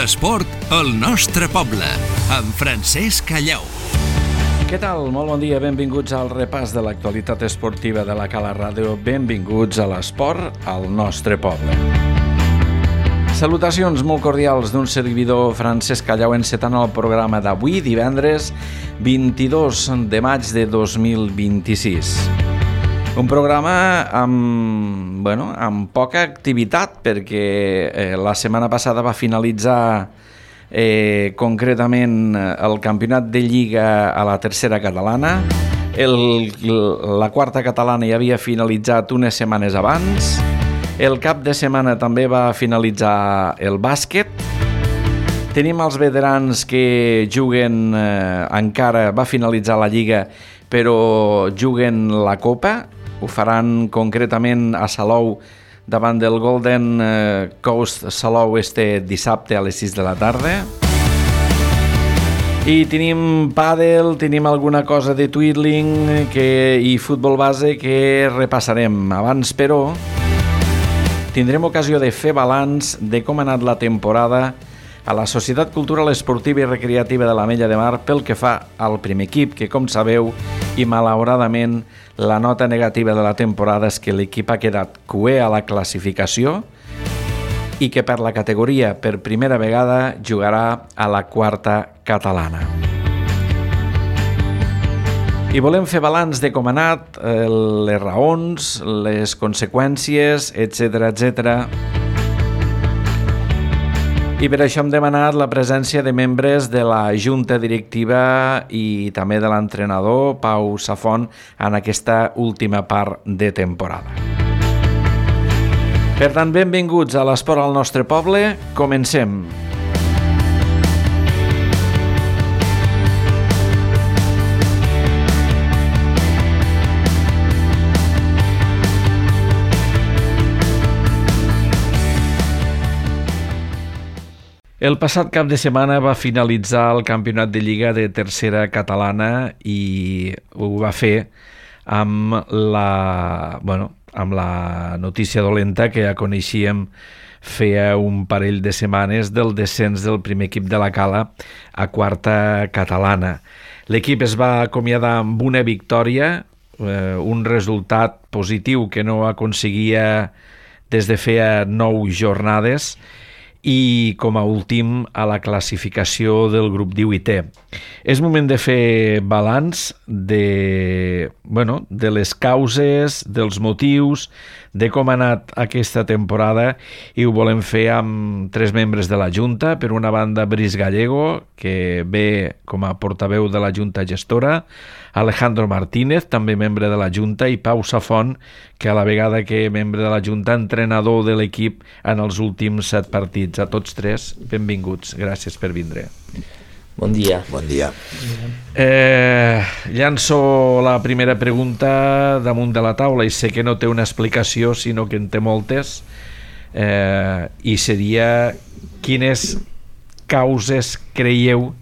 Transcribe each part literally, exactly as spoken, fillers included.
L'esport al nostre poble, amb Francesc Callau. Què tal? Molt bon dia, benvinguts al repàs de l'actualitat esportiva de la Cala Ràdio. Benvinguts a l'esport al nostre poble. Salutacions molt cordials d'un servidor, Francesc Callau, encetant el programa d'avui, divendres vint-i-dos de maig de dos mil vint-i-sis. Un programa amb, bueno, amb poca activitat, perquè eh, la setmana passada va finalitzar eh, concretament el campionat de Lliga a la tercera catalana. El, la quarta catalana ja havia finalitzat unes setmanes abans. El cap de setmana també va finalitzar el bàsquet. Tenim els veterans que juguen eh, encara, va finalitzar la Lliga, però juguen la Copa. Ho faran concretament a Salou davant del Golden Coast Salou este dissabte a les sis de la tarda. I tenim pàdel, tenim alguna cosa de twirling que, i futbol base que repassarem. Abans, però, tindrem ocasió de fer balanç de com ha anat la temporada a la Societat Cultural Esportiva i Recreativa de l'Ametlla de Mar pel que fa al primer equip, que, com sabeu, i malauradament la nota negativa de la temporada és que l'equip ha quedat cuer a la classificació i que per la categoria per primera vegada jugarà a la quarta catalana. I volem fer balanç de com ha anat, les raons, les conseqüències, etcètera, etcètera. I per això hem demanat la presència de membres de la Junta Directiva i també de l'entrenador Pau Safont en aquesta última part de temporada. Per tant, benvinguts a l'esport al nostre poble. Comencem. El passat cap de setmana va finalitzar el campionat de Lliga de tercera catalana i ho va fer amb la, bueno, amb la notícia dolenta que ja coneixíem feia un parell de setmanes del descens del primer equip de la Cala a quarta catalana. L'equip es va acomiadar amb una victòria, eh, un resultat positiu que no aconseguia des de feia nou jornades, i com a últim a la classificació del grup divuitè. És moment de fer balanç de, bueno, de les causes, dels motius, de com ha anat aquesta temporada, i ho volem fer amb tres membres de la Junta. Per una banda, Brice Gallego, que ve com a portaveu de la Junta Gestora, Alejandro Martínez, també membre de la Junta, i Pau Safont, que a la vegada que membre de la Junta, entrenador de l'equip en els últims set partits. A tots tres, benvinguts. Gràcies per vindre. Bon dia. Bon dia. Eh, llanço la primera pregunta damunt de la taula, i sé que no té una explicació, sinó que en té moltes, eh, i seria: quines causes creieu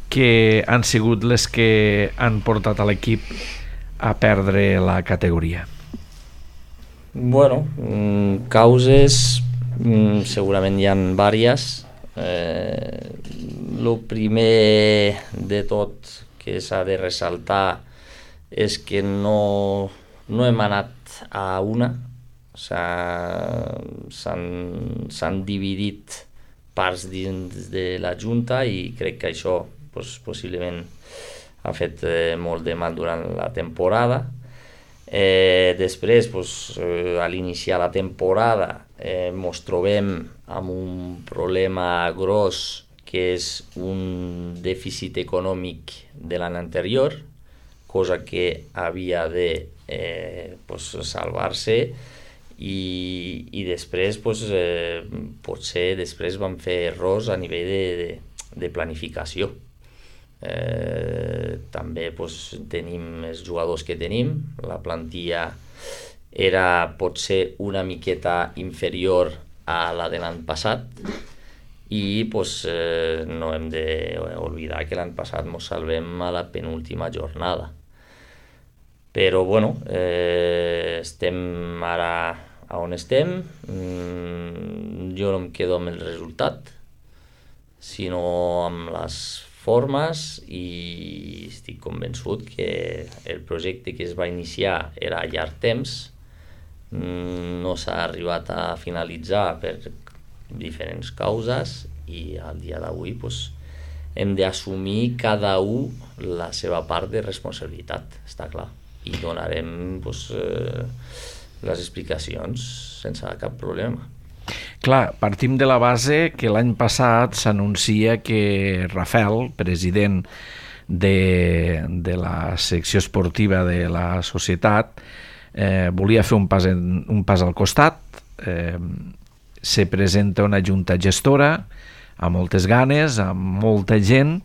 que han sigut les que han portat a l'equip a perdre la categoria? Bueno, causes segurament hi ha diverses. Eh, el primer de tot que s'ha de ressaltar és que no, no hem anat a una, o sigui, s'han dividit parts dins de la Junta, i crec que això pues, possiblement ha fet eh, molt de mal durant la temporada. Eh, després, pues, eh, a l'iniciar la temporada, eh, ens trobem amb un problema gros, que és un dèficit econòmic de l'any anterior, cosa que havia de eh, pues, salvar-se, i, i després pues, eh, potser després vam fer errors a nivell de, de, de planificació. Eh, també pues, tenim els jugadors que tenim, la plantilla era potser una miqueta inferior a la de l'any passat, i pues, eh, no hem d'oblidar que l'any passat ens salvem a la penúltima jornada. Però bueno, eh, estem ara a on estem. Mm, jo no em quedo amb el resultat, sinó amb les formes, i estic convençut que el projecte que es va iniciar era a llarg temps, no s'ha arribat a finalitzar per diferents causes, i al dia d'avui pues, hem d'assumir cada un la seva part de responsabilitat, està clar, i donarem pues, eh, les explicacions sense cap problema. Clar, partim de la base que l'any passat s'anuncia que Rafael, president de, de la secció esportiva de la societat, eh, volia fer un pas, en, un pas al costat, eh, se presenta una junta gestora amb moltes ganes, amb molta gent,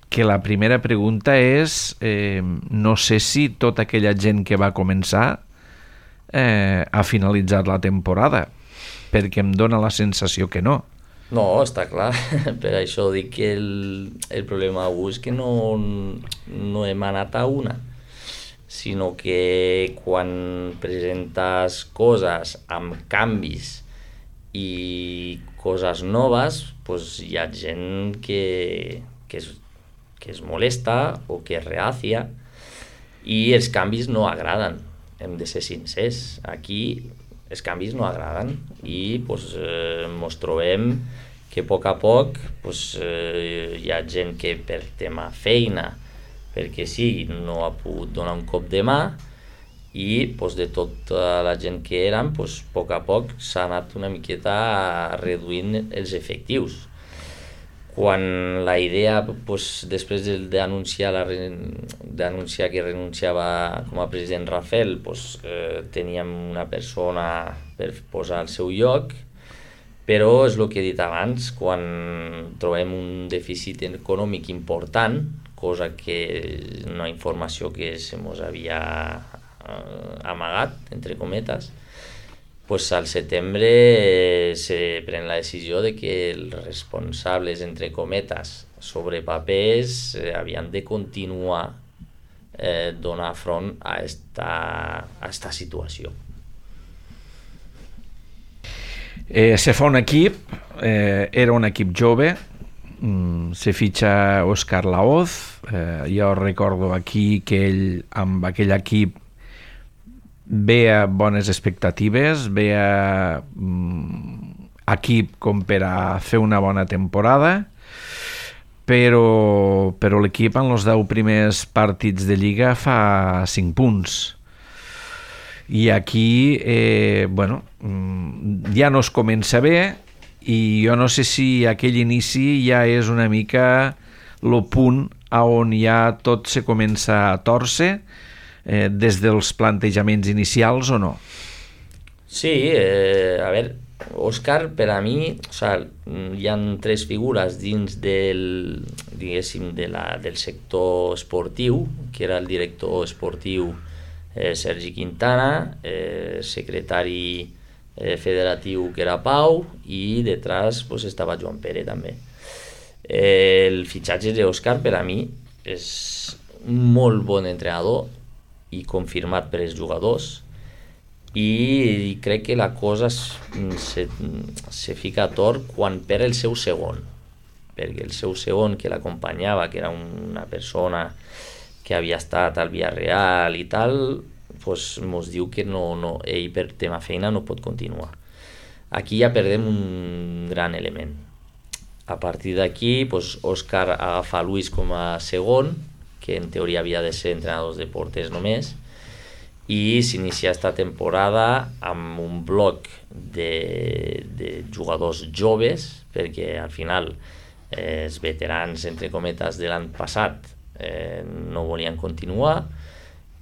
que la primera pregunta és, eh, no sé si tota aquella gent que va començar eh, ha finalitzat la temporada, perquè em dóna la sensació que no. No, està clar, per això dic que el, el problema avui és que no, no hem anat a una, sinó que quan presentes coses amb canvis i coses noves, pues hi ha gent que, que, es, que es molesta o que es reacia, i els canvis no agraden, hem de ser sincers. Aquí els canvis no agraden i pues, eh, ens trobem que a poc a poc pues, eh, hi ha gent que per tema feina, perquè sí, no ha pogut donar un cop de mà, i pues, de tota la gent que érem, pues, a poc a poc s'ha anat una miqueta reduint els efectius. Quan la idea, pues, després d'anunciar la, d'anunciar que renunciava com a president Rafael, pues, eh, teníem una persona per posar al seu lloc, però és el que he dit abans, quan trobem un dèficit econòmic important, cosa que una informació que se mos havia eh, amagat, entre cometes, pues al setembre eh, se pren la decisió de que els responsables, entre cometes, sobre papers, eh, havien de continuar eh, donar front a esta, a esta situació. Eh, se fa un equip, eh, era un equip jove, mm, se fitxa Òscar Laoz, eh, jo recordo aquí que ell amb aquell equip veia bones expectatives, veia mm, equip com per a fer una bona temporada, però, però l'equip en els deu primers partits de Lliga fa cinc punts. I aquí, eh, bueno, ja no es comença bé, i jo no sé si aquell inici ja és una mica el punt on ja tot se comença a tòrcer, eh, des dels plantejaments inicials o no? Sí, eh, a veure, Òscar, per a mi, o sea, hi ha tres figures dins del, diguéssim, de la, del sector esportiu, que era el director esportiu eh, Sergi Quintana, eh, secretari eh, federatiu que era Pau, i detrás pues, estava Joan Pere també. Eh, el fitxatge d'Òscar per a mi és un molt bon entrenador i confirmat per els jugadors, i crec que la cosa se, se fica a tort quan perd el seu segon, perquè el seu segon que l'acompanyava, que era una persona que havia estat al Villarreal i tal, pues mos diu que no, no, ell per tema feina no pot continuar. Aquí ja perdem un gran element. A partir d'aquí, pues, Òscar agafa Luis com a segon, que en teoria havia de ser entrenadors de porters només, i s'inicia esta temporada amb un bloc de, de jugadors joves, perquè al final eh, els veterans, entre cometes, de l'any passat eh, no volien continuar,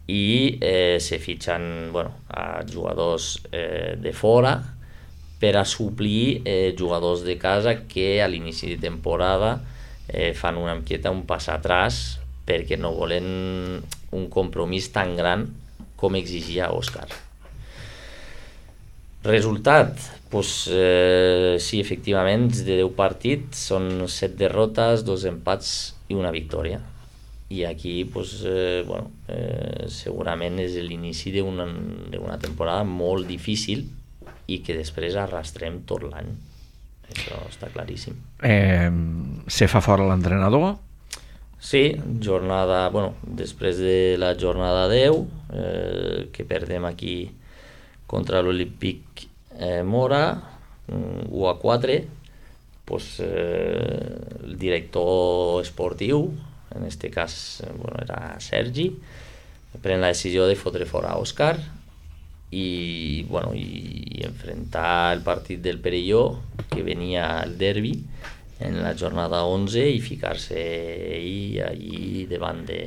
i eh, se fitxen bueno, a jugadors eh, de fora per a suplir eh, jugadors de casa que a l'inici de temporada eh, fan una miqueta un pas atrás perquè no volen un compromís tan gran com exigia Òscar. Resultat, pues, eh, sí, efectivament, de deu partits són set derrotes, dos empats i una victòria. I aquí, pues, eh, bueno, eh, segurament és l'inici d'una, d'una temporada molt difícil i que després arrastrem tot l'any. això està claríssim. Eh, se fa fora l'entrenador? Sí, jornada, bueno, després de la jornada deu, eh, que perdem aquí contra l'Olímpic eh, Mora, u a quatre, pues, eh, el director esportiu, en aquest cas bueno, era Sergi, pren la decisió de fotre fora Òscar i, bueno, i enfrontar el partit del Perelló, que venia el derbi, en la jornada onze i ficar-se ell allí davant de,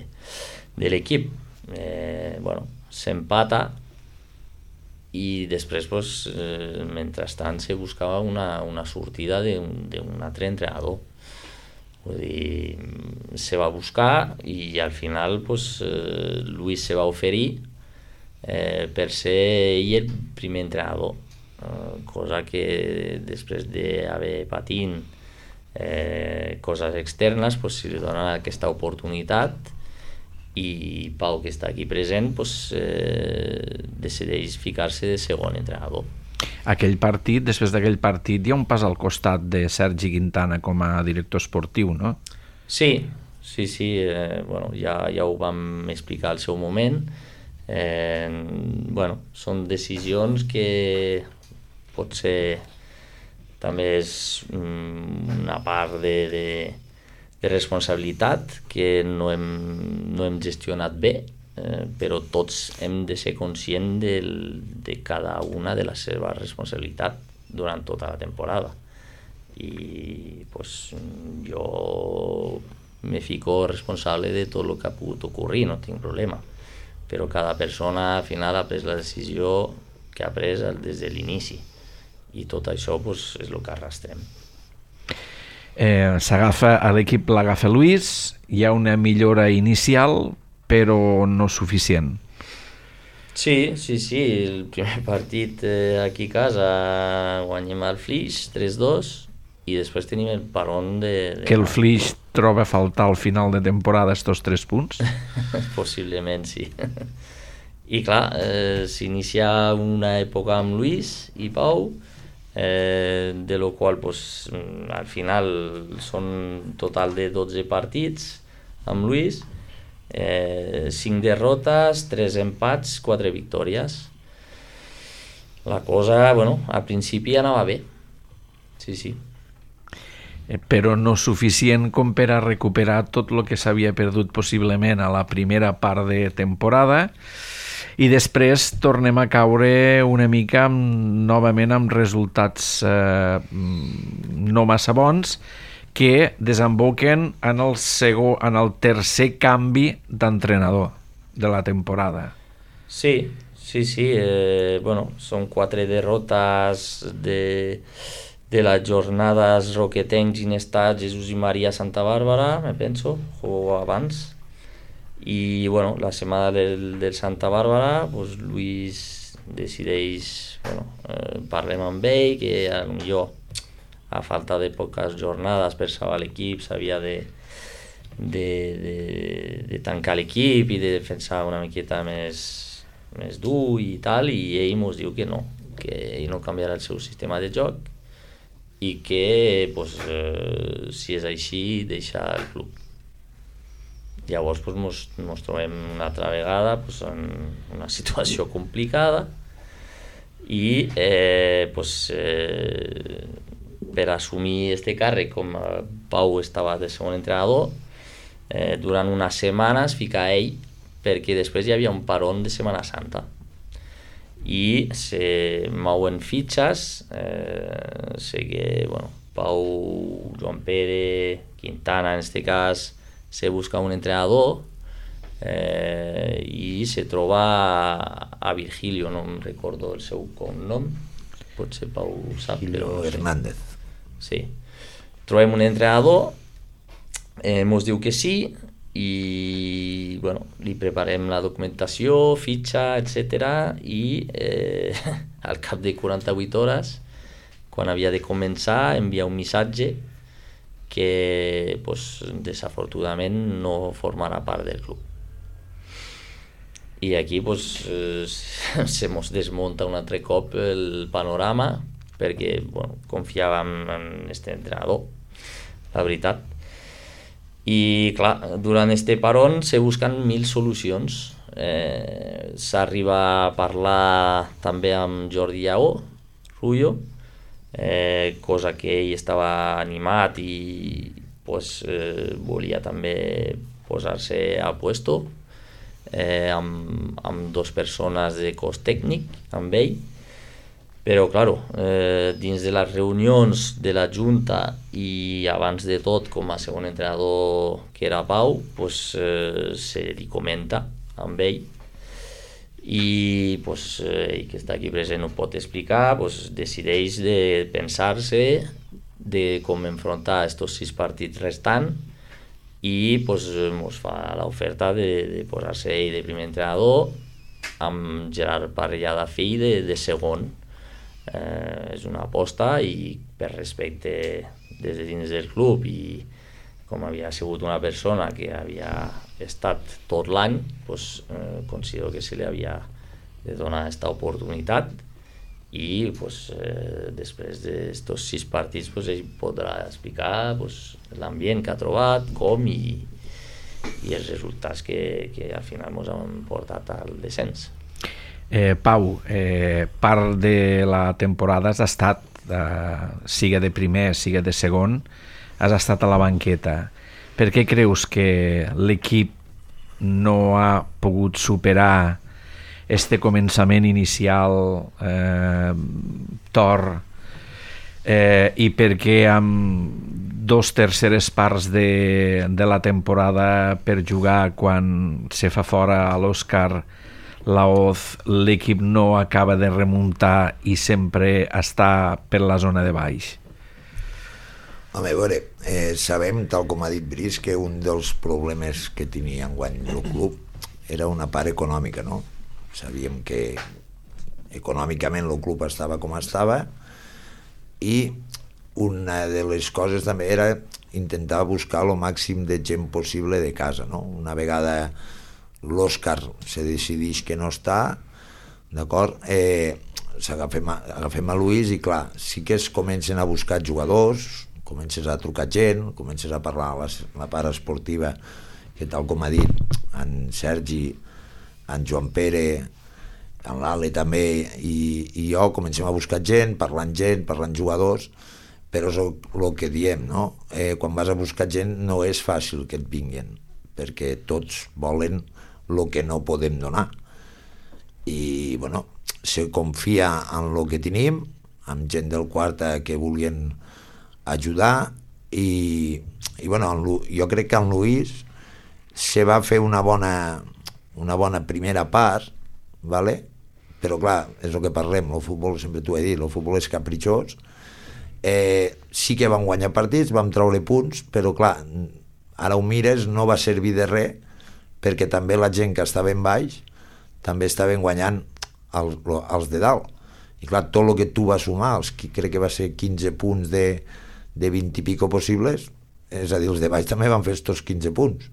de l'equip. Eh, bueno, s'empata i després, pues, eh, mentrestant, se buscava una, una sortida d'un altre entrenador. Vull dir, se va buscar i al final pues, eh, Luis se va oferir eh, per ser ell el primer entrenador, eh, cosa que després d'haver patint eh, coses externes pues, se li dona aquesta oportunitat i Pau, que està aquí present, pues, eh, decideix ficar-se de segon entrenador. Aquell partit, després d'aquell partit, hi ha un pas al costat de Sergi Quintana com a director esportiu, no? Sí, sí, sí, eh, bueno, ja, ja ho vam explicar al seu moment. Eh, bueno, són decisions que potser també és una part de, de, de responsabilitat que no hem, no hem gestionat bé, eh, però tots hem de ser conscients del, de cada una de la seva responsabilitat durant tota la temporada. I pues, jo me fico responsable de tot el que ha pogut ocorrir, no tinc problema, però cada persona al final ha pres la decisió que ha pres des de l'inici i tot això pues, és el que arrastrem. Eh, s'agafa a l'equip, l'agafa Luis, hi ha una millora inicial però no suficient. Sí, sí, sí, el primer partit eh, aquí a casa guanyem el Flix tres dos i després tenim el paron de... de que el Flix troba a faltar al final de temporada estos tres punts? Possiblement sí. I clar, eh, s'inicia una època amb Luis i Pau, eh, de lo qual pues, al final són total de dotze partits amb Luis, eh, cinc derrotes, tres empats, quatre victòries. La cosa, bueno, al principi anava bé, sí, sí. Eh, però no suficient com per a recuperar tot el que s'havia perdut possiblement a la primera part de temporada, i després tornem a caure una mica amb, novament amb resultats eh, no massa bons que desemboquen en el, segon, en el tercer canvi d'entrenador de la temporada. Sí, sí, sí. Eh, bueno, són quatre derrotes de, de les jornades Roquetencs, Ginestar, Jesús i Maria Santa Bàrbara, me penso, o abans. I bueno, la setmana del, del Santa Bàrbara, pues, Luis decideix, bueno, eh, parlem amb ell, que potser a falta de poques jornades per salvar l'equip s'havia de, de, de, de tancar l'equip i de defensar una miqueta més, més dur i tal, i ell ens diu que no, que ell no canviarà el seu sistema de joc i que pues, eh, si és així deixa el club. Llavors pues, mos, mos trobem una altra vegada pues, en una situació complicada i eh, pues, eh, per assumir este càrrec, com Pau estava de segon entrenador, eh, durant unes setmanes fica ell, perquè després hi havia un paron de Setmana Santa i se mouen fitxes, eh, sé que bueno, Pau, Joan Pere, Quintana en este cas, se busca un entrenador eh, i se troba a, a Virgilio, no em recordo el seu cognom, potser Pau ho sap, Virgilio però no sé. Hernández. Sí. Trobem un entrenador, eh, mos diu que sí i bueno, li preparem la documentació, fitxa, etcètera i eh, al cap de quaranta-vuit hores, quan havia de començar, envia un missatge que pues, desafortunadament no formarà part del club. I aquí pues, eh, se mos desmunta un altre cop el panorama perquè bueno, confiàvem en aquest entrenador, la veritat. I clar, durant este paron se busquen mil solucions. Eh, s'arriba a parlar també amb Jordi Lleó, Rullo, eh, cosa que ell estava animat i pues, eh, volia també posar-se al puesto, eh, amb, amb dos persones de cos tècnic, amb ell, però, claro, eh, dins de les reunions de la Junta i abans de tot com a segon entrenador que era Pau, pues, eh, se li comenta amb ell i pues, ell que està aquí present ho pot explicar, pues, decideix de pensar-se de com enfrontar estos sis partits restant i pues, mos fa l'oferta de, de posar-se ell de primer entrenador amb Gerard Parellada fill de, de segon. Eh, és una aposta i per respecte des de dins del club i com havia sigut una persona que havia estat tot l'any, pues, eh, considero que se li havia de donar aquesta oportunitat i pues, eh, després d'estos sis partits pues, ell podrà explicar pues, l'ambient que ha trobat, com i, i els resultats que, que al final ens han portat al descens. Eh, Pau, eh, part de la temporada has estat, eh, siga de primer, siga de segon, has estat a la banqueta. Per què creus que l'equip no ha pogut superar este començament inicial eh, tor eh, i per què amb dos terceres parts de, de la temporada per jugar quan se fa fora a l'Òscar Laoz, l'equip no acaba de remuntar i sempre està per la zona de baix? Home, a veure, eh, sabem, tal com ha dit Brice, que un dels problemes que tenia enguany el club era una part econòmica, no? Sabíem que econòmicament el club estava com estava i una de les coses també era intentar buscar el màxim de gent possible de casa, no? Una vegada l'Òscar se decideix que no està, d'acord, eh, s'agafem a, agafem a Luis i clar, sí que es comencen a buscar jugadors, comences a trucar gent, comences a parlar a la, la part esportiva, que tal com ha dit en Sergi, en Joan Pere, en l'Ale també, i, i jo comencem a buscar gent, parlant gent, parlant jugadors, però és el, el que diem, no? Eh, quan vas a buscar gent no és fàcil que et vinguin, perquè tots volen el que no podem donar. I, bueno, se confia en el que tenim, amb gent del Quarta que volien ajudar, i, i bueno, jo crec que en Luis se va fer una bona, una bona primera part, vale? Però clar, és el que parlem, el futbol, sempre t'ho he dit, el futbol és capritxós, eh, sí que vam guanyar partits, vam treure punts, però clar, ara ho mires, no va servir de res, perquè també la gent que estava en baix també estaven guanyant els, els de dalt. I clar, tot el que tu vas sumar, els que crec que va ser quinze punts de, de vint i pico possibles, és a dir, els de baix també van fer estos quinze punts.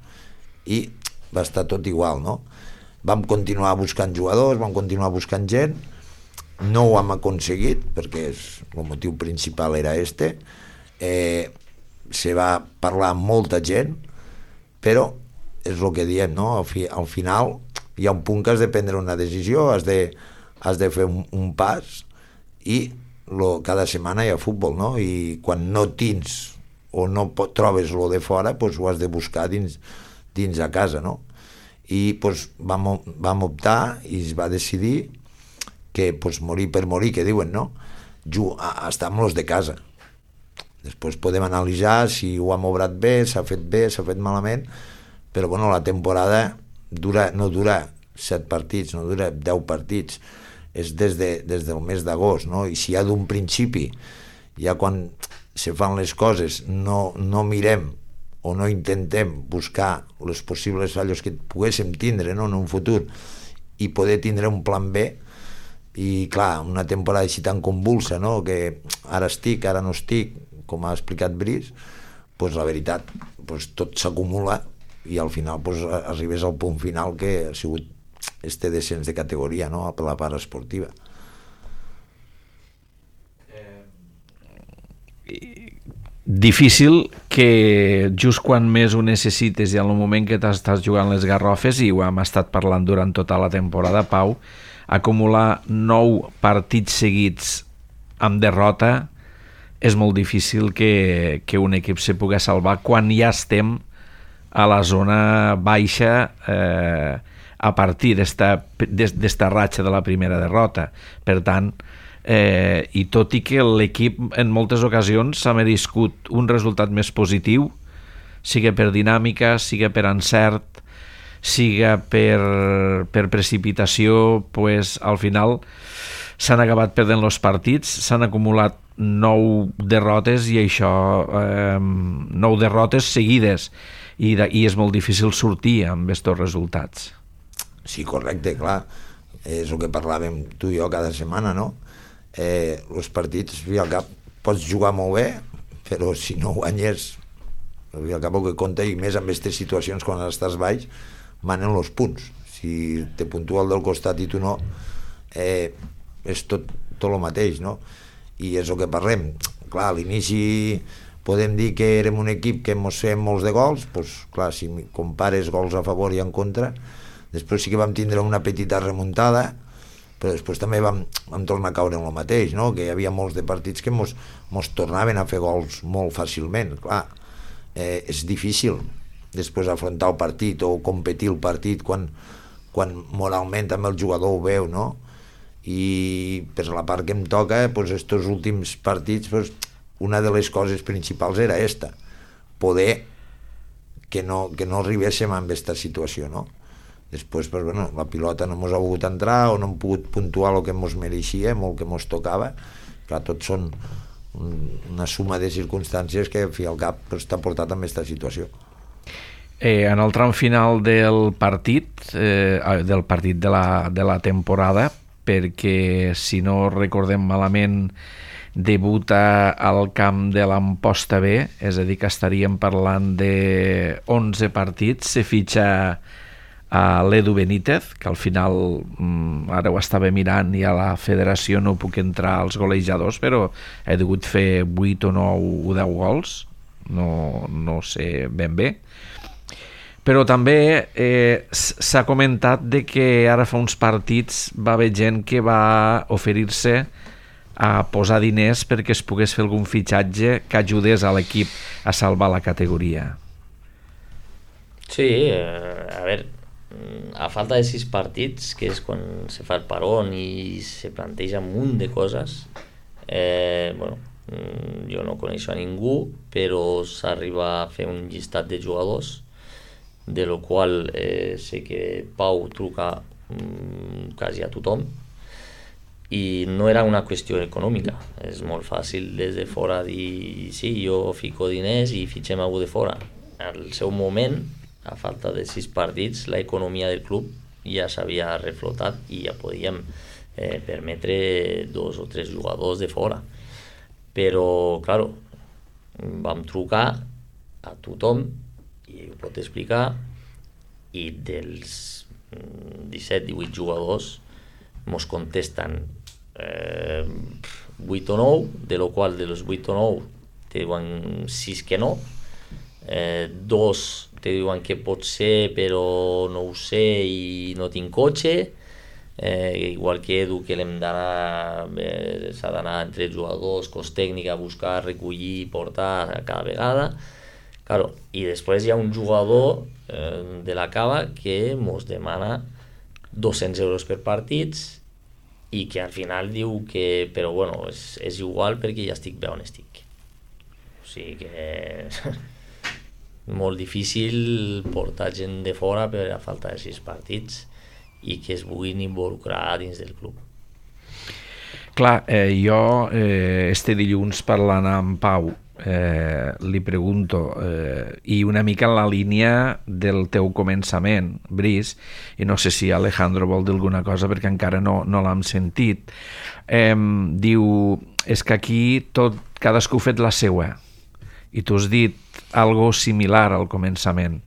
I va estar tot igual, no? Vam continuar buscant jugadors, vam continuar buscant gent, no ho hem aconseguit, perquè és, el motiu principal era este, eh, se va parlar amb molta gent, però és el que diem, no? Al, fi, al final hi ha un punt que has de prendre una decisió, has de, has de fer un, un pas i lo, cada setmana hi ha futbol, no? I quan no tens o no pot, trobes lo de fora, pues ho has de buscar dins, dins a casa, no? I pues, vam, vam optar i es va decidir que pues, morir per morir, que diuen, no? Ju, estar amb los de casa. Després podem analitzar si ho hem obrat bé, s'ha fet bé, s'ha fet malament, però bueno, la temporada dura, no dura set partits, no dura deu partits, és des, de, des del mes d'agost, no? I si ja d'un principi, ja quan se fan les coses, no, no mirem o no intentem buscar les possibles fallos que poguéssim tindre, no? En un futur, i poder tindre un plan B, i clar, una temporada així tan convulsa, no? Que ara estic, ara no estic, com ha explicat Brice, pues la veritat, pues tot s'acumula i al final pues, arribes al punt final que ha sigut este descens de categoria, no? Per la part esportiva. Eh, difícil que just quan més ho necessites i en el moment que t'estàs jugant les garrofes, i ho hem estat parlant durant tota la temporada, Pau, acumular nou partits seguits amb derrota és molt difícil que, que un equip se pugui salvar quan ja estem a la zona baixa eh, a partir d'esta ratxa de la primera derrota. Per tant, eh, i tot i que l'equip en moltes ocasions s'ha merescut un resultat més positiu, siga per dinàmica, siga per encert, siga per, per precipitació, pues, al final s'han acabat perdent els partits, s'han acumulat nou derrotes i això, eh, nou derrotes seguides, i, de, i és molt difícil sortir amb aquests resultats. Sí, correcte, clar, és el que parlàvem tu i jo cada setmana, no? Eh, els partits, al cap, pots jugar molt bé, però si no guanyes, al cap el que compta, i més amb aquestes situacions quan estàs baix, manen els punts. Si te puntua el del costat i tu no, eh, és tot, tot el mateix, no? I és el que parlem. Clar, a l'inici podem dir que érem un equip que ens fem molts de gols, doncs clar, si compares gols a favor i en contra, després sí que vam tindre una petita remuntada, però després també vam, vam tornar a caure en el mateix, no? Que hi havia molts de partits que mos, mos tornaven a fer gols molt fàcilment. Clar, eh, és difícil després afrontar el partit o competir el partit quan, quan moralment també el jugador ho veu, no? I per la part que em toca, doncs estos últims partits, doncs, una de les coses principals era esta, poder que no, que no arribéssim a aquesta situació, no? Després, pues, bueno, la pilota no ens ha volgut entrar o no hem pogut puntuar el que ens mereixia, el que ens tocava. Clar, tots són una suma de circumstàncies que, al fi al cap, pues, t'ha portat a aquesta situació. Eh, en el tram final del partit, eh, del partit de la, de la temporada, perquè, si no recordem malament, debuta al camp de l'Amposta B, és a dir, que estaríem parlant de onze partits, se fitxa a l'Edu Benítez, que al final, ara ho estava mirant i a la federació no puc entrar als golejadors, però he degut fer vuit o nou o deu gols, no, no sé ben bé. Però també eh, s'ha comentat de que ara fa uns partits va haver gent que va oferir-se a posar diners perquè es pogués fer algun fitxatge que ajudés a l'equip a salvar la categoria. Sí, eh, a veure, a falta de sis partits, que és quan se fa el parón i se planteja un munt de coses, eh, bueno, jo no coneixo a ningú, però s'arriba a fer un llistat de jugadors, de lo qual eh, sé que Pau truca mm, quasi a tothom, i no era una qüestió econòmica. És molt fàcil des de fora dir sí, jo fico diners i fitxem algú de fora. Al seu moment, a falta de sis partits, l'economia del club ja s'havia reflotat i ja podíem eh, permetre dos o tres jugadors de fora. Però, claro, vam trucar a tothom i ho pot explicar, i dels disset divuit jugadors mos contesten eh, vuit o nou, de lo qual de los vuit o nou te diuen sis que no, eh, dos te diuen que pot ser però no ho sé i no tinc cotxe, eh, igual que Edu, que l'hem d'anar, eh, s'ha d'anar entre jugadors, cos tècnic a buscar, recollir, portar cada vegada. Claro, i després hi ha un jugador eh, de la Cava que mos demana dos-cents euros per partits i que al final diu que, però bueno, és, és igual perquè ja estic bé on estic. O sigui que molt difícil portar gent de fora per a falta de sis partits i que es vulguin involucrar dins del club. Clar, eh, jo eh, este dilluns parlant amb Pau Eh, li pregunto eh, i una mica en la línia del teu començament, Brice, i no sé si Alejandro vol dir alguna cosa perquè encara no, no l'hem sentit. Eh, diu, és que aquí tot, cadascú ha fet la seua, i tu has dit algo similar al començament.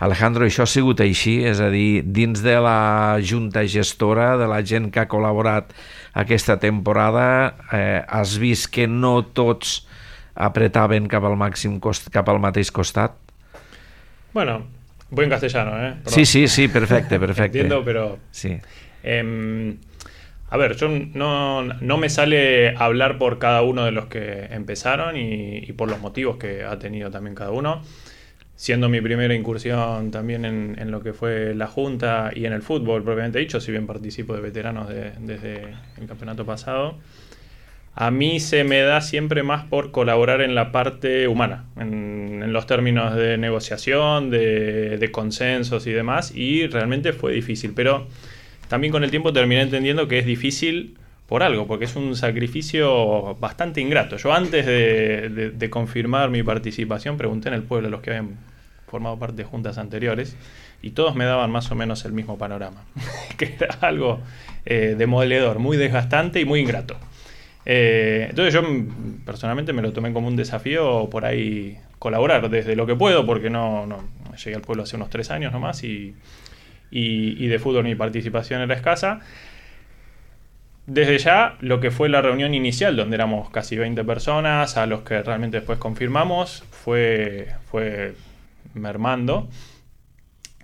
Alejandro, això ha sigut així? És a dir, dins de la junta gestora, de la gent que ha col·laborat aquesta temporada, eh, has vist que no tots apretaven cap al màxim cost, cap al mateix costat? Bueno, voy en castellano, ¿eh? Perdón. Sí, sí, sí, perfecte, perfecte. Entiendo, pero... Sí. Eh, a ver, yo no, no me sale hablar por cada uno de los que empezaron y, y por los motivos que ha tenido también cada uno. Siendo mi primera incursión también en, en lo que fue la Junta y en el fútbol propiamente dicho, si bien participo de veteranos de, desde el campeonato pasado, a mí se me da siempre más por colaborar en la parte humana, en, en los términos de negociación, de, de consensos y demás, y realmente fue difícil, pero también con el tiempo terminé entendiendo que es difícil por algo, porque es un sacrificio bastante ingrato. Yo antes de, de, de confirmar mi participación pregunté en el pueblo a los que habían formado parte de juntas anteriores y todos me daban más o menos el mismo panorama, que era algo eh, demoledor, muy desgastante y muy ingrato. Eh, entonces yo personalmente me lo tomé como un desafío por ahí colaborar desde lo que puedo, porque no, no llegué al pueblo hace unos tres años nomás y, y, y de fútbol mi participación era escasa. Desde ya, lo que fue la reunión inicial, donde éramos casi veinte personas, a los que realmente después confirmamos, fue, fue mermando.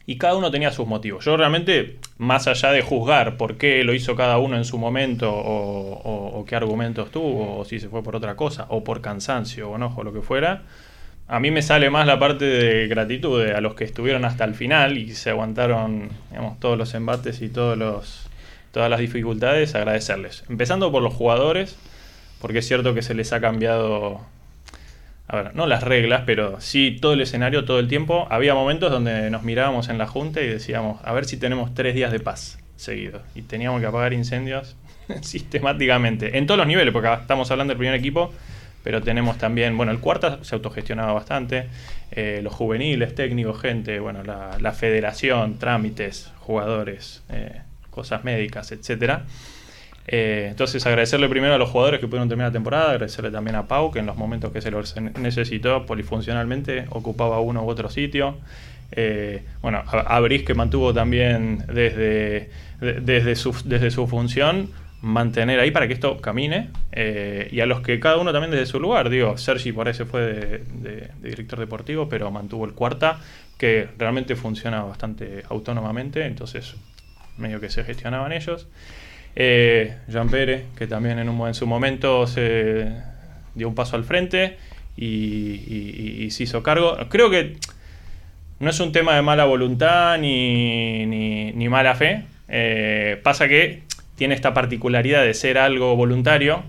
Y cada uno tenía sus motivos. Yo realmente, más allá de juzgar por qué lo hizo cada uno en su momento, o, o, o qué argumentos tuvo, o si se fue por otra cosa, o por cansancio, o enojo, o lo que fuera, a mí me sale más la parte de gratitud de a los que estuvieron hasta el final y se aguantaron, digamos, todos los embates y todos los... todas las dificultades, agradecerles. Empezando por los jugadores, porque es cierto que se les ha cambiado, a ver, no las reglas, pero sí todo el escenario, todo el tiempo. Había momentos donde nos mirábamos en la junta y decíamos, a ver si tenemos tres días de paz seguidos. Y teníamos que apagar incendios sistemáticamente, en todos los niveles, porque estamos hablando del primer equipo, pero tenemos también, bueno, el cuarta se autogestionaba bastante, eh, los juveniles, técnicos, gente, bueno, la, la federación, trámites, jugadores, eh, cosas médicas, etcétera. Eh, entonces agradecerle primero a los jugadores que pudieron terminar la temporada, agradecerle también a Pau, que en los momentos que se lo necesitó polifuncionalmente ocupaba uno u otro sitio. Eh, bueno, a, a Brice, que mantuvo también desde, de, desde, su, desde su función mantener ahí para que esto camine, eh, y a los que cada uno también desde su lugar, digo, Sergi por ahí se fue de, de, de director deportivo, pero mantuvo el cuarta, que realmente funciona bastante autónomamente, entonces medio que se gestionaban ellos. Eh, Jean Pérez, que también en, un, en su momento se dio un paso al frente y, y, y se hizo cargo. Creo que no es un tema de mala voluntad ni, ni, ni mala fe. Eh, pasa que tiene esta particularidad de ser algo voluntario,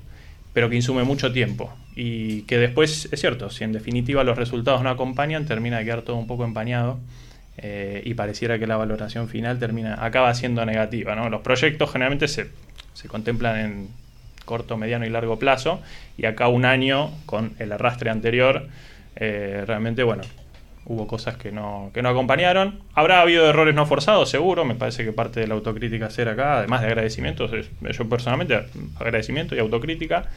pero que insume mucho tiempo. Y que después, es cierto, si en definitiva los resultados no acompañan, termina de quedar todo un poco empañado. Eh, y pareciera que la valoración final termina acaba siendo negativa, ¿no? Los proyectos generalmente se, se contemplan en corto, mediano y largo plazo, y acá un año con el arrastre anterior, eh, realmente, bueno, hubo cosas que no, que no acompañaron. Habrá habido errores no forzados, seguro. Me parece que parte de la autocrítica hacer acá, además de agradecimientos, es, yo personalmente agradecimiento y autocrítica.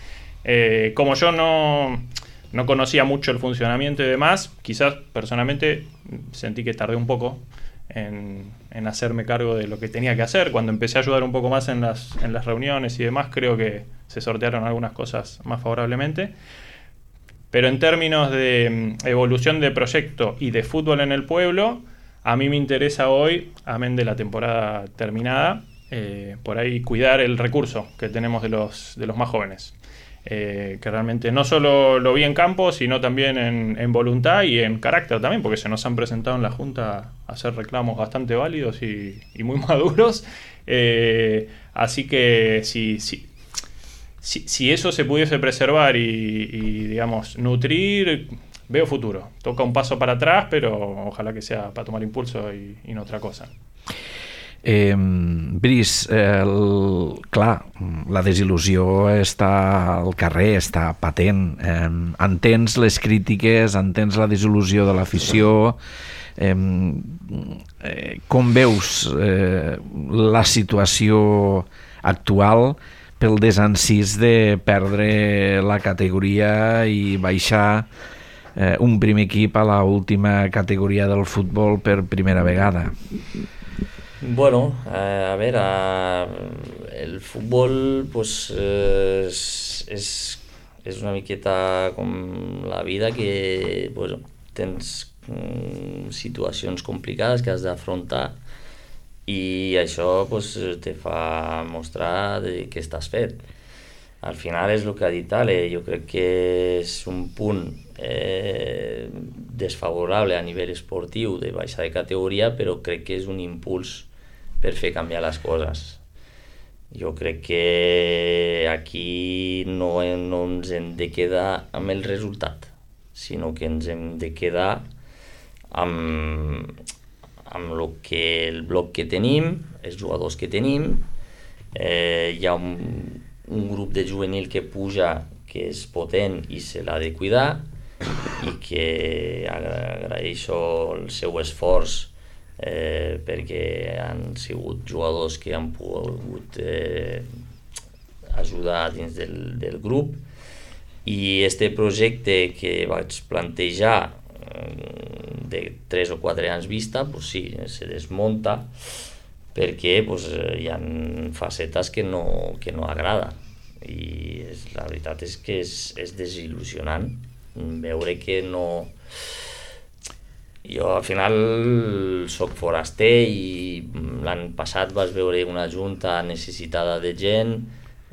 Eh, como yo no... no conocía mucho el funcionamiento y demás, quizás personalmente sentí que tardé un poco en, en hacerme cargo de lo que tenía que hacer. Cuando empecé a ayudar un poco más en las, en las reuniones y demás, creo que se sortearon algunas cosas más favorablemente. Pero en términos de evolución de proyecto y de fútbol en el pueblo, a mí me interesa hoy, amén de la temporada terminada, eh, por ahí cuidar el recurso que tenemos de los, de los más jóvenes. Eh, que realmente no solo lo vi en campo, sino también en, en voluntad y en carácter también, porque se nos han presentado en la Junta a hacer reclamos bastante válidos y, y muy maduros. Eh, así que si, si, si, si eso se pudiese preservar y, y, digamos, nutrir, veo futuro. Toca un paso para atrás, pero ojalá que sea para tomar impulso y, y no otra cosa. Eh, Brice, eh, el, clar, la desil·lusió està al carrer, està patent. Eh, entens les crítiques, entens la desil·lusió de l'afició. Eh, eh, com veus eh, la situació actual pel desencís de perdre la categoria i baixar eh, un primer equip a l'última categoria del futbol per primera vegada? Bueno, eh, a ver, a, el fútbol pues eh, es, es, és una miqueta com la vida que pues, tens mm, situacions complicades que has d'afrontar i això pues, te fa mostrar de què estàs fet. Al final és el que ha dit Ale, jo crec que és un punt eh, desfavorable a nivell esportiu de baixar de categoria, però crec que és un impuls per fer canviar les coses. Jo crec que aquí no, no ens hem de quedar amb el resultat, sinó que ens hem de quedar amb, amb lo que, el bloc que tenim, els jugadors que tenim. Eh, hi ha un, un grup de juvenil que puja, que és potent i se l'ha de cuidar, i que agraeixo el seu esforç Eh, perquè han sigut jugadors que han pogut eh, ajudar dins del, del grup, i este projecte que vaig plantejar eh, de tres o quatre anys vista, pues sí, se desmunta perquè pues, hi ha facetes que no, que no agrada, i és, la veritat és que és, és desil·lusionant veure que no... Jo al final soc foraster i l'any passat vas veure una junta necessitada de gent,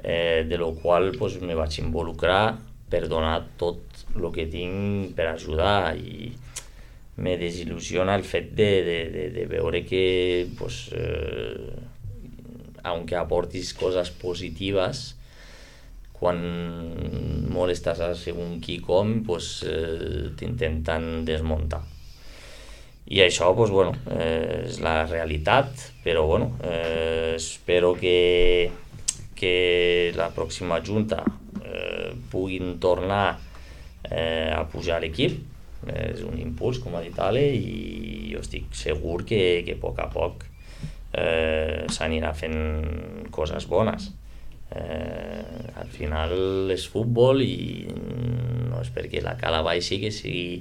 eh, de lo qual pues, me vaig involucrar per donar tot el que tinc per ajudar, i me desil·lusiona el fet de, de, de, de veure que pues, eh, aunque aportis coses positives, quan molestes a segon qui com, pues, eh, t'intenten desmuntar. I això pues, bueno, eh, és la realitat, però bueno, eh, espero que, que la pròxima junta eh, puguin tornar eh, a pujar l'equip. Eh, és un impuls, com ha dit Ale, i jo estic segur que, que a poc a poc eh, s'anirà fent coses bones. Eh, al final és futbol i no és perquè la cala baixi que sigui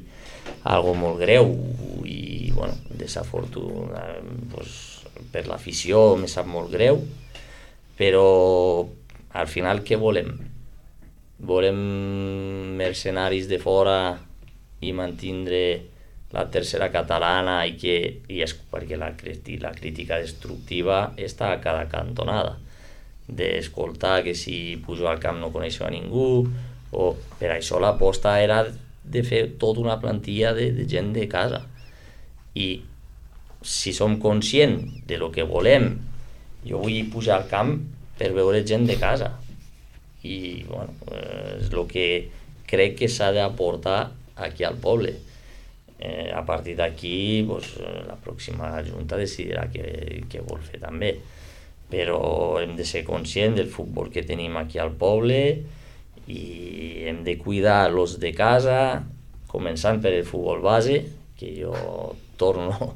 algo molt greu, i bueno, desafortunadament pues, per l'afició me sap molt greu, però al final què volem? Volem mercenaris de fora i mantindre la tercera catalana, i que i és perquè la, la crítica destructiva està a cada cantonada, d'escoltar que si pujo al camp no coneixo a ningú, o per això l'aposta era de fer tota una plantilla de, de gent de casa. I si som conscients de lo que volem, jo vull pujar al camp per veure gent de casa, i bueno, és el que crec que s'ha d'aportar aquí al poble. Eh, a partir d'aquí pues, la pròxima junta decidirà què, què vol fer també, però hem de ser conscients del futbol que tenim aquí al poble i hem de cuidar los de casa, començant per el futbol base, que jo torno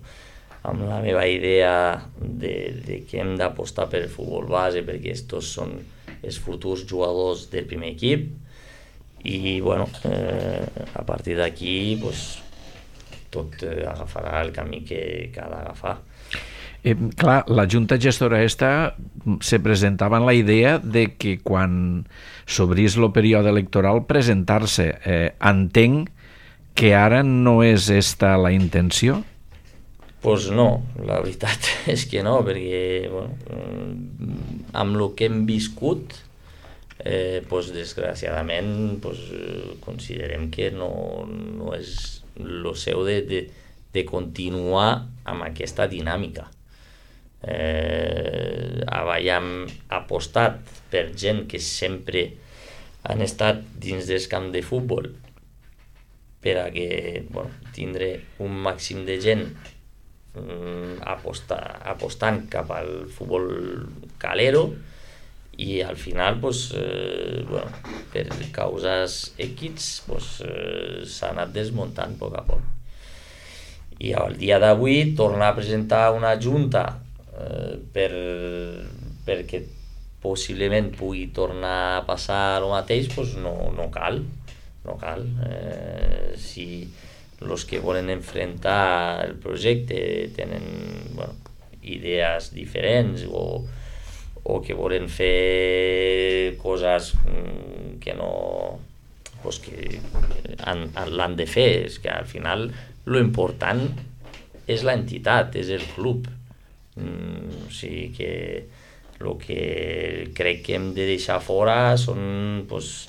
amb la meva idea de, de que hem d'apostar per el futbol base, perquè estos són els futurs jugadors del primer equip, i bueno, eh, a partir d'aquí pues, tot eh, agafarà el camí que, que ha d'agafar. Eh, clar, la Junta Gestora esta se presentava en la idea de que quan s'obrís el període electoral presentar-se. Eh, entenc que ara no és esta la intenció? Pues no, la veritat és que no, perquè bueno, amb el que hem viscut, eh, pues, desgraciadament pues, considerem que no, no és el seu de, de, de continuar amb aquesta dinàmica. Eh, havíem apostat per gent que sempre han estat dins del camp de futbol per a que bueno, tindre un màxim de gent mm, aposta, apostant cap al futbol calero, i al final pues, eh, bueno, per causes X pues, eh, s'ha anat desmuntant a poc a poc. I al dia d'avui tornar a presentar una junta eh, per, perquè possiblement pugui tornar a passar el mateix, pues no, no cal, no cal. Eh, si els que volen enfrontar el projecte tenen bueno, idees diferents o, o que volen fer coses que no, pues que han, l'han de fer. És que al final lo important és l'entitat, és el club. Mm, o sigui que el que crec que hem de deixar fora són pues,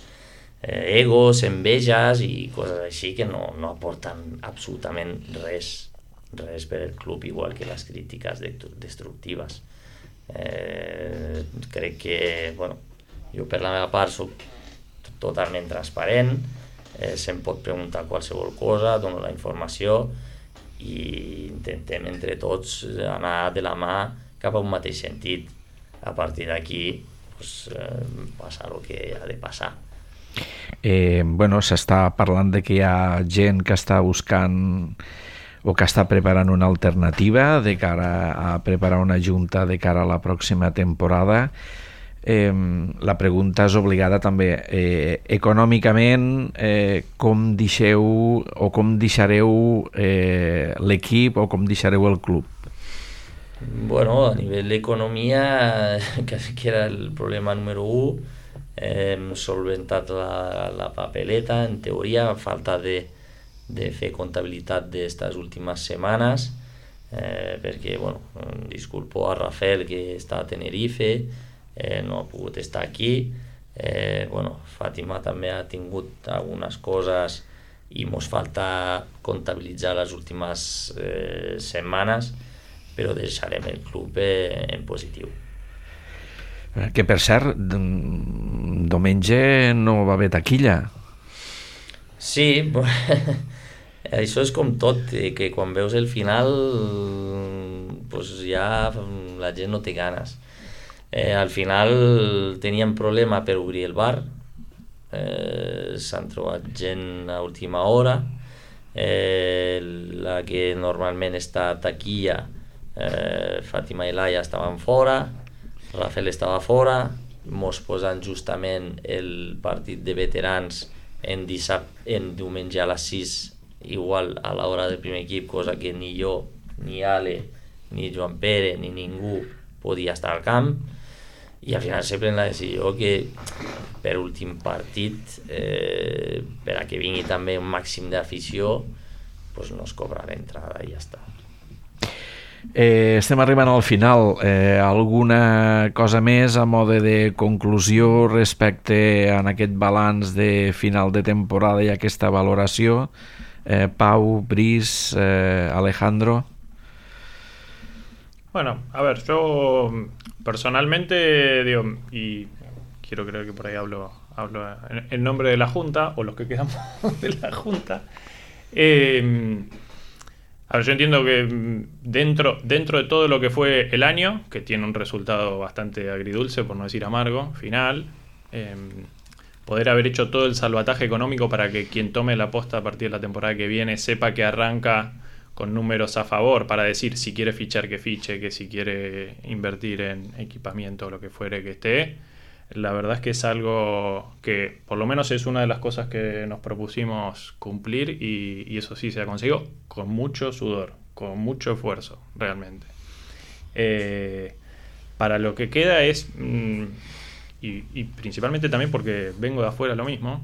eh, egos, enveges i coses així que no, no aporten absolutament res, res per al club, igual que les crítiques destructives. Eh, crec que, bueno, jo per la meva part soc totalment transparent, eh, se'm pot preguntar qualsevol cosa, dono la informació i intentem entre tots anar de la mà cap a un mateix sentit. A partir d'aquí pues, eh, passa el que ha de passar. Eh, bueno, s'està parlant de que hi ha gent que està buscant o que està preparant una alternativa de cara a preparar una junta de cara a la pròxima temporada. Eh, la pregunta és obligada també. Eh, econòmicament, eh, com deixeu o com deixareu eh, l'equip o com deixareu el club? Bueno, a nivell d'economia, que era el problema número u, hem solventat la, la papeleta, en teoria, a falta de, de fer comptabilitat d'estes últimes setmanes, eh, perquè, bueno, disculpo a Rafael, que està a Tenerife, eh, no ha pogut estar aquí, eh, bueno, Fàtima també ha tingut algunes coses i mos falta comptabilitzar les últimes eh, setmanes, però deixarem el club en positiu. Que, per cert, diumenge no va haver taquilla. Sí, això és com tot, que quan veus el final pues ja la gent no té ganes. Eh, al final teníem problema per obrir el bar, eh, s'han trobat gent a última hora, eh, la que normalment està a taquilla, Eh, Fàtima i Laia estaven fora, Rafael estava fora, mos posen justament el partit de veterans en, dissabte, en diumenge a les sis, igual a l'hora del primer equip, cosa que ni jo, ni Ale, ni Joan Pere, ni ningú podia estar al camp, i al final se pren la decisió que per últim partit, eh, per a que vingui també un màxim d'afició, pues no es cobra l'entrada i ja està. Eh, estem arribant al final. Eh, alguna cosa més a mode de conclusió respecte a aquest balanç de final de temporada i aquesta valoració? Eh, Pau, Brice, eh, Alejandro. Bueno, a ver, yo personalmente digo, y quiero creer que por ahí hablo, hablo en nombre de la Junta, o los que quedamos de la Junta. Eh, A ver, yo entiendo que dentro, dentro de todo lo que fue el año, que tiene un resultado bastante agridulce, por no decir amargo, final, eh, poder haber hecho todo el salvataje económico para que quien tome la posta a partir de la temporada que viene sepa que arranca con números a favor, para decir si quiere fichar que fiche, que si quiere invertir en equipamiento o lo que fuere que esté. La verdad es que es algo que por lo menos es una de las cosas que nos propusimos cumplir y, y eso sí se ha conseguido con mucho sudor, con mucho esfuerzo realmente. Eh, para lo que queda es, mm, y, y principalmente también porque vengo de afuera lo mismo,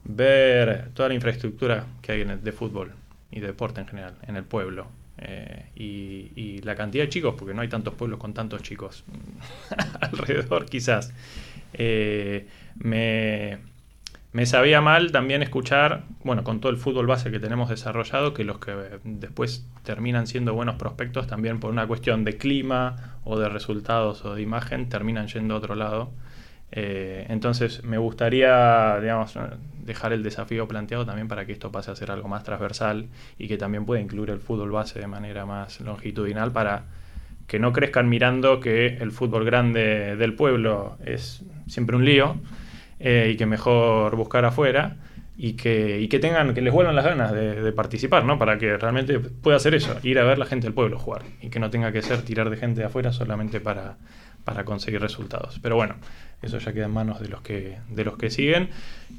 ver toda la infraestructura que hay en el, de fútbol y de deporte en general en el pueblo. Eh, y, y la cantidad de chicos, porque no hay tantos pueblos con tantos chicos alrededor quizás. Eh, me, me sabía mal también escuchar, bueno, con todo el fútbol base que tenemos desarrollado, que los que después terminan siendo buenos prospectos también por una cuestión de clima o de resultados o de imagen terminan yendo a otro lado. Eh, entonces me gustaría, digamos, dejar el desafío planteado también para que esto pase a ser algo más transversal y que también pueda incluir el fútbol base de manera más longitudinal, para que no crezcan mirando que el fútbol grande del pueblo es siempre un lío, eh, y que mejor buscar afuera y que, y que tengan, que les vuelvan las ganas de, de participar, ¿no? Para que realmente pueda hacer eso, ir a ver la gente del pueblo jugar y que no tenga que ser tirar de gente de afuera solamente para, para conseguir resultados. Pero bueno, eso ya queda en manos de los que de los que siguen,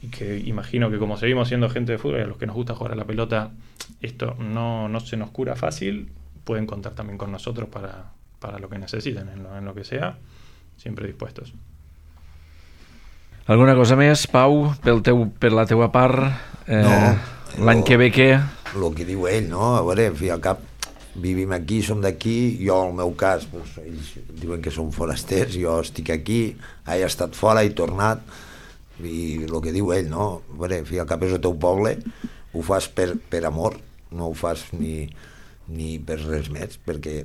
y que imagino que como seguimos siendo gente de fútbol y a los que nos gusta jugar a la pelota, esto no, no se nos cura fácil. Pueden contar también con nosotros para, para lo que necesiten, en lo, en lo que sea, siempre dispuestos. Alguna cosa més, Pau, pel teu, per la teua part? Eh, No, l'any lo- que ve què? El que diu ell, no? A veure, fi al cap, vivim aquí, som d'aquí, jo, en el meu cas, doncs, ells diuen que som forasters, jo estic aquí, he estat fora, he tornat, i el que diu ell, no? A veure, fi al cap és el teu poble, ho fas per, per amor, no ho fas ni, ni per res més, perquè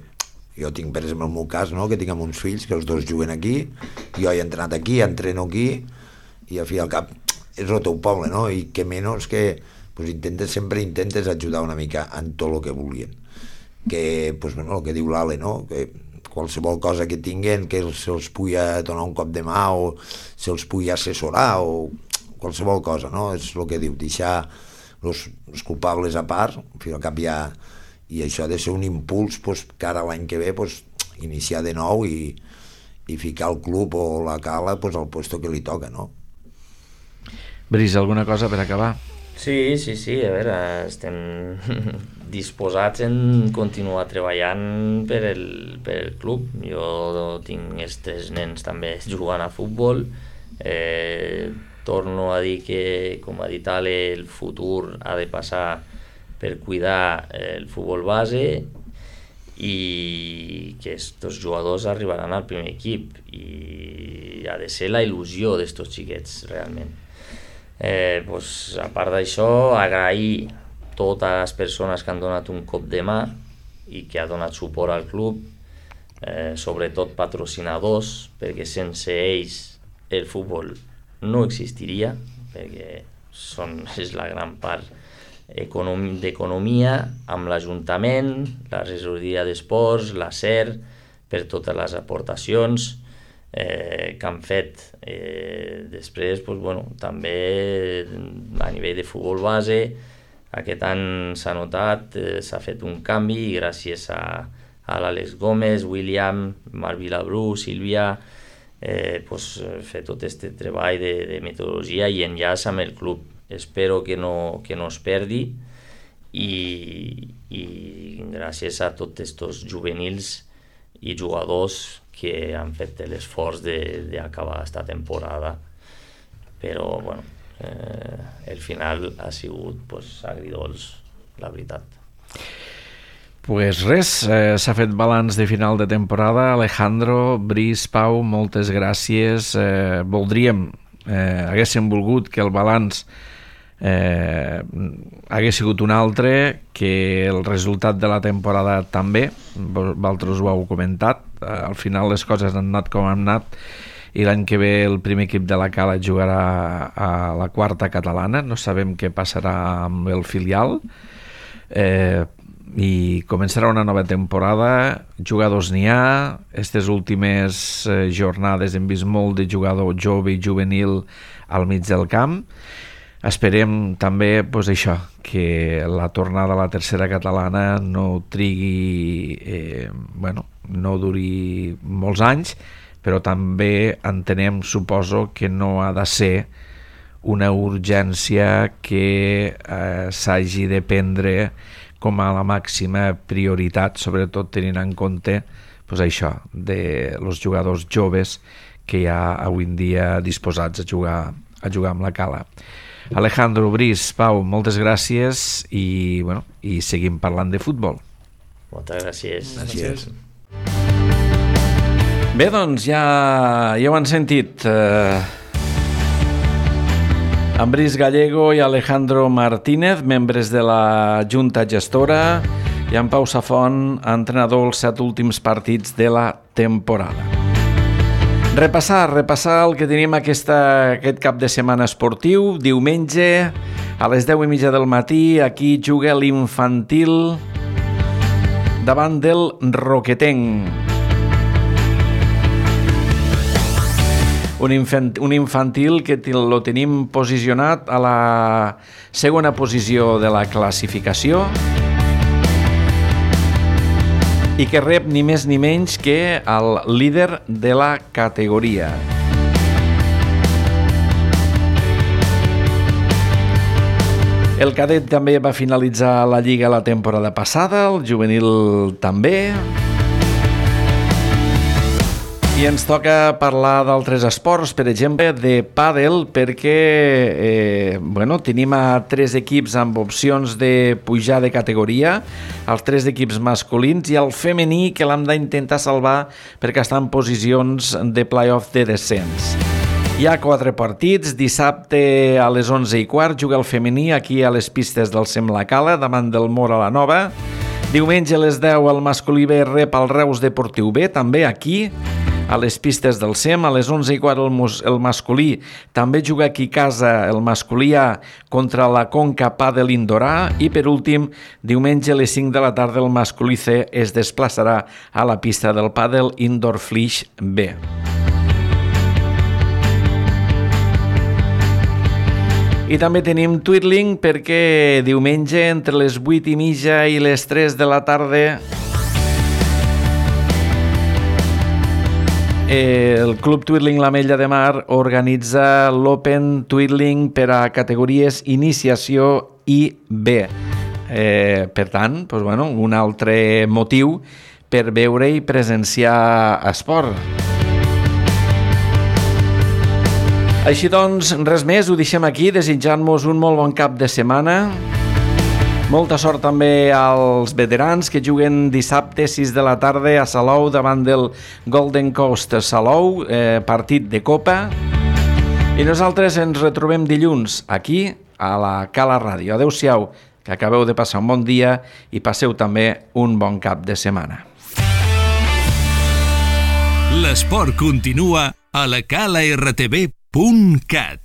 jo tinc, per exemple, el meu cas, no?, que tinc amb uns fills, que els dos juguen aquí, jo he entrenat aquí, entreno aquí, i al fi al cap és el teu poble, no? I que menys que pues, intentes, sempre intentes ajudar una mica en tot el que volien. Que, pues, bueno, el que diu l'Ale, no? Que qualsevol cosa que tinguen, que se'ls pugui donar un cop de mà o se'ls pugui assessorar o qualsevol cosa, no? És el que diu, deixar els, els culpables a part, al fi al cap ja, i això ha de ser un impuls pues, cara a l'any que ve pues, iniciar de nou i, i ficar el club o la cala pues, al puesto que li toca, no? Brice, alguna cosa per acabar? Sí, sí, sí, a veure, estem disposats en continuar treballant per el, per el club. Jo tinc els tres nens també jugant a futbol. Eh, torno a dir que, com ha dit Ale, el futur ha de passar per cuidar el futbol base i que estos jugadors arribaran al primer equip i ha de ser la il·lusió d'estos xiquets realment. Eh, pues, a part d'això, agrair totes les persones que han donat un cop de mà i que ha donat suport al club, eh, sobretot patrocinadors, perquè sense ells el futbol no existiria, perquè són, és la gran part d'economia, amb l'Ajuntament, la regidoria d'esports, la SER, per totes les aportacions eh, que han fet. Eh, després, pues, bueno, també a nivell de futbol base, aquest any s'ha notat, eh, s'ha fet un canvi i gràcies a, a l'Àlex Gómez, William, Marc Vilabrú, Sílvia, eh, pues, fer tot aquest treball de, de metodologia i enllaç amb el club. Espero que no, que no es perdi i, i gràcies a tots aquests juvenils i jugadors que han fet l'esforç d'acabar aquesta temporada, però bueno, eh, el final ha sigut pues, agridolç, la veritat. Pues res, eh, s'ha fet balanç de final de temporada. Alejandro, Brice, Pau, moltes gràcies. Eh, voldríem, eh, haguéssim volgut que el balanç eh, hagués sigut un altre, que el resultat de la temporada també, vosaltres ho heu comentat, eh, al final les coses han anat com han anat i l'any que ve el primer equip de la Cala jugarà a la quarta catalana, no sabem què passarà amb el filial, eh, i començarà una nova temporada, jugadors n'hi ha, aquestes últimes eh, jornades hem vist molt de jugador jove i juvenil al mig del camp. Esperem també pues, això, que la tornada a la tercera catalana no trigui, eh, bueno, no duri molts anys, però també entenem, suposo, que no ha de ser una urgència que eh, s'hagi de prendre com a la màxima prioritat, sobretot tenint en compte pues, això, de los jugadors joves que hi ha avui en dia disposats a jugar, a jugar amb la Cala. Alejandro, Brice, Pau, moltes gràcies i, bueno, i seguim parlant de futbol. Moltes gràcies. Gràcies. Bé, doncs ja, ja ho han sentit. Eh, en Brice Gallego i Alejandro Martínez, membres de la Junta Gestora, i en Pau Safont, entrenador els set últims partits de la temporada. Repassar, repassar el que tenim aquesta, aquest cap de setmana esportiu. Diumenge, a les deu i mitja del matí, aquí juga l'infantil davant del Roquetenc. Un, infant, un infantil que lo tenim posicionat a la segona posició de la classificació i que rep ni més ni menys que el líder de la categoria. El cadet també va finalitzar la Lliga la temporada passada, el juvenil també. I ens toca parlar d'altres esports, per exemple, de pàdel, perquè eh, bueno, tenim a tres equips amb opcions de pujar de categoria, els tres equips masculins i el femení, que l'hem d'intentar salvar perquè està en posicions de play-off de descens. Hi ha quatre partits. Dissabte a les onze i quart juga el femení aquí a les pistes del Sem La Cala, davant del Mora la Nova. Diumenge a les deu el masculí B rep el Reus Deportiu B, també aquí, a les pistes del Sem. A les onze i quart el, el masculí també juga aquí a casa, el masculí A contra la Conca Pàdel Indoor A, i per últim, diumenge a les cinc de la tarda el masculí C es desplaçarà a la pista del Pàdel Indoor Flix B. I també tenim Twirling, perquè diumenge entre les vuit i mitja i les tres de la tarda el Club Twirling l'Ametlla de Mar organitza l'Open Twirling per a categories Iniciació i B. Eh, per tant, doncs, bueno, un altre motiu per veure i presenciar esport. Així doncs, res més, ho deixem aquí, desitjant-vos un molt bon cap de setmana. Molta sort també als veterans que juguen dissabte sis de la tarda a Salou davant del Golden Coast Salou, eh, partit de Copa. I nosaltres ens retrobem dilluns aquí a la Cala Ràdio. Adéu-siau, que acabeu de passar un bon dia i passeu també un bon cap de setmana. L'esport continua a la cala r t v punt cat.